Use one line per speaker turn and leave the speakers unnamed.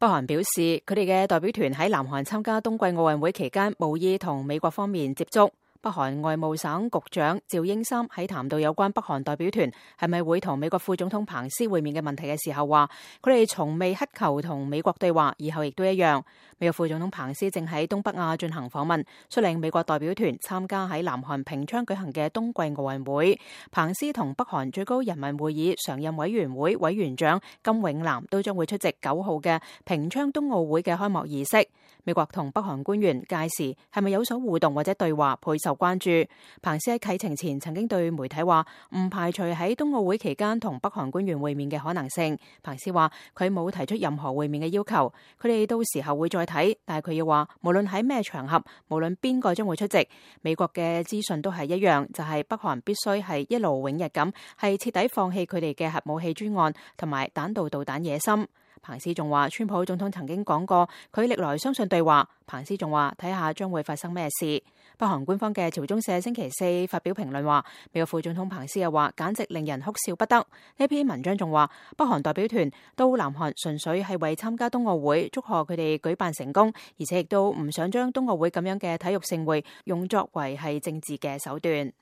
北韓表示，佢哋嘅代表團喺南韓參加冬季奧運會期間，無意同美國方面接觸。北韓外務省局長趙英三喺談到有關北韓代表團係咪會同美國副總統彭斯會面嘅問題嘅時候話，佢哋從未乞求同美國對話，以後亦都一樣。美國副總統彭斯正喺東北亞進行訪問，率領美國代表團參加喺南韓平昌舉行嘅冬季奧運會。彭斯同北韓最高人民會議常任委員會委員長金永南都將會出席9號嘅平昌冬奧會嘅開幕儀式。美國同北韓官員屆時係咪有所互動或者對話，倍受關注。彭斯喺啟程前曾經對媒體話，唔排除喺冬奧會期間同北韓官員會面嘅可能性。彭斯話佢冇提出任何會面嘅要求，佢哋到時候會再睇，但係佢要話無論喺咩場合，無論邊個將會出席，美國嘅資訊都係一樣，就係北韓必須係一勞永逸咁，係徹底放棄佢哋嘅核武器專案同埋彈道導彈野心。彭斯仲話，川普總統曾經講過，佢歷來相信對話。彭斯仲話，睇下將會發生咩事。北韓官方嘅朝中社星期四發表評論話，美國副總統彭斯又話，簡直令人哭笑不得。呢篇文章仲話，北韓代表團到南韓純粹係為參加冬奧會，祝賀佢哋舉辦成功，而且亦都唔想將冬奧會咁樣嘅體育盛會用作為係政治嘅手段。